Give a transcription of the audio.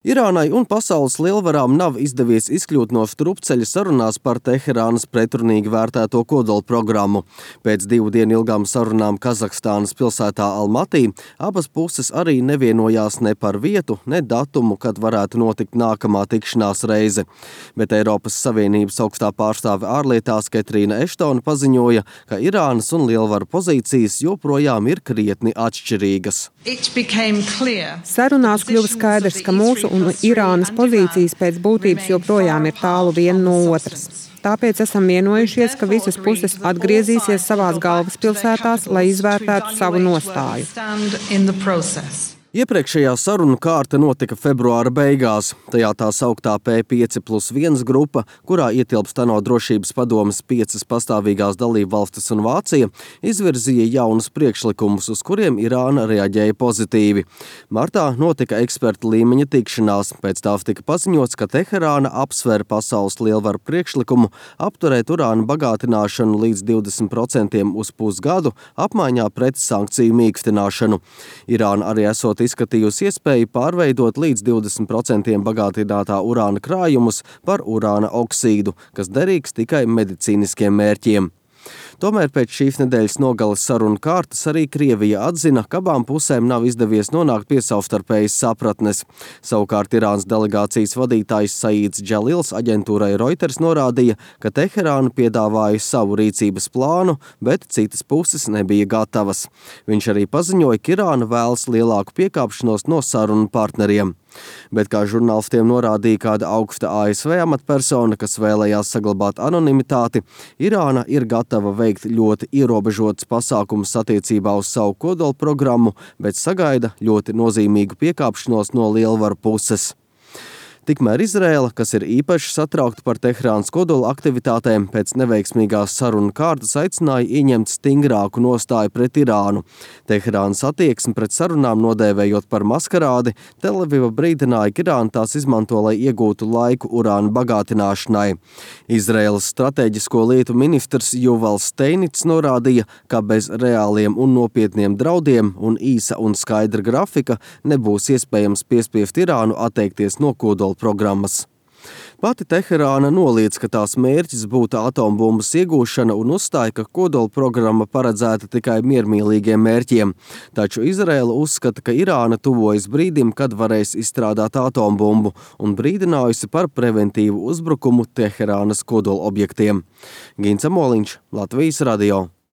Irānai un pasaules lielvarām nav izdevies izkļūt no strupceļa sarunās par Teherānas pretrunīgi vērtēto kodolprogrammu. Pēc 2 dienu ilgām sarunām Kazahstānas pilsētā Almatī abas puses arī nevienojās ne par vietu, ne datumu, kad varētu notikt nākamā tikšanās reize. Bet Eiropas Savienības augstā pārstāve ārlietās Ketrīna Eštona paziņoja, ka Irānas un lielvaru pozīcijas joprojām ir krietni atšķirīgas. Sarunās kļuva skaidrs, ka mūsu un Irānas pozīcijas pēc būtības joprojām ir tālu viena no otras. Tāpēc esam vienojušies, ka visas puses atgriezīsies savās galvaspilsētās, lai izvērtētu savu nostāju. Iepriekšējā sarunu kārta notika februāra beigās. Tajā tā sauktā P5+1 grupa, kurā ietilpst ANO drošības padomes 5 pastāvīgās dalībvalstis un Vācija, izvirzīja jaunus priekšlikumus, uz kuriem Irāna reaģēja pozitīvi. Martā notika ekspertu līmeņa tikšanās. Pēc tā tika paziņots, ka Teherāna apsver pasaules lielvaru priekšlikumu apturēt urāna bagātināšanu līdz 20% uz pusgadu apmaiņā pret sankciju mīkstināšanu. Irāna arī esot izskatījusi iespēju pārveidot līdz 20% bagātinātā urāna krājumus par urāna oksīdu, kas derīgs tikai medicīniskiem mērķiem. Tomēr pēc šīs nedēļas nogales sarunu kārtas arī Krievija atzina, ka abām pusēm nav izdevies nonākt pie savstarpējas sapratnes. Savukārt Irānas delegācijas vadītājs Saīds Džalils aģentūrai Reuters norādīja, ka Teherāna piedāvāja savu rīcības plānu, bet citas puses nebija gatavas. Viņš arī paziņoja, ka Irāna vēlas lielāku piekāpšanos no sarunu partneriem. Bet, kā žurnālistiem norādīja kāda augsta ASV amatpersona, kas vēlējās saglabāt anonimitāti, Irāna ir gatava veikt ļoti ierobežotas pasākumus attiecībā uz savu kodolprogrammu, bet sagaida ļoti nozīmīgu piekāpšanos no lielvaru puses. Tikmēr Izraēla, kas ir īpaši satraukta par Teherānas kodola aktivitātēm, pēc neveiksmīgās sarunu kārtas aicināja ieņemt stingrāku nostāju pret Irānu. Teherānas attieksmi pret sarunām nodēvējot par maskarādi, Tel Aviva brīdināja, ka Irāna tās izmanto, lai iegūtu laiku urāna bagātināšanai. Izraēlas stratēģisko lietu ministrs Juvals Steinits norādīja, ka bez reāliem un nopietniem draudiem un īsa un skaidra grafika nebūs iespējams piespiest Irānu atteikties no kodola programmas. Pati Teherāna noliedz, ka tās mērķis būtu atombumbas iegūšana un uzstāja, ka kodola programma paredzēta tikai miermīlīgiem mērķiem. Taču Izraēla uzskata, ka Irāna tuvojas brīdim, kad varēs izstrādāt atombumbu un brīdinājusi par preventīvu uzbrukumu Teherānas kodola objektiem. Gins Amoliņš, Latvijas radio.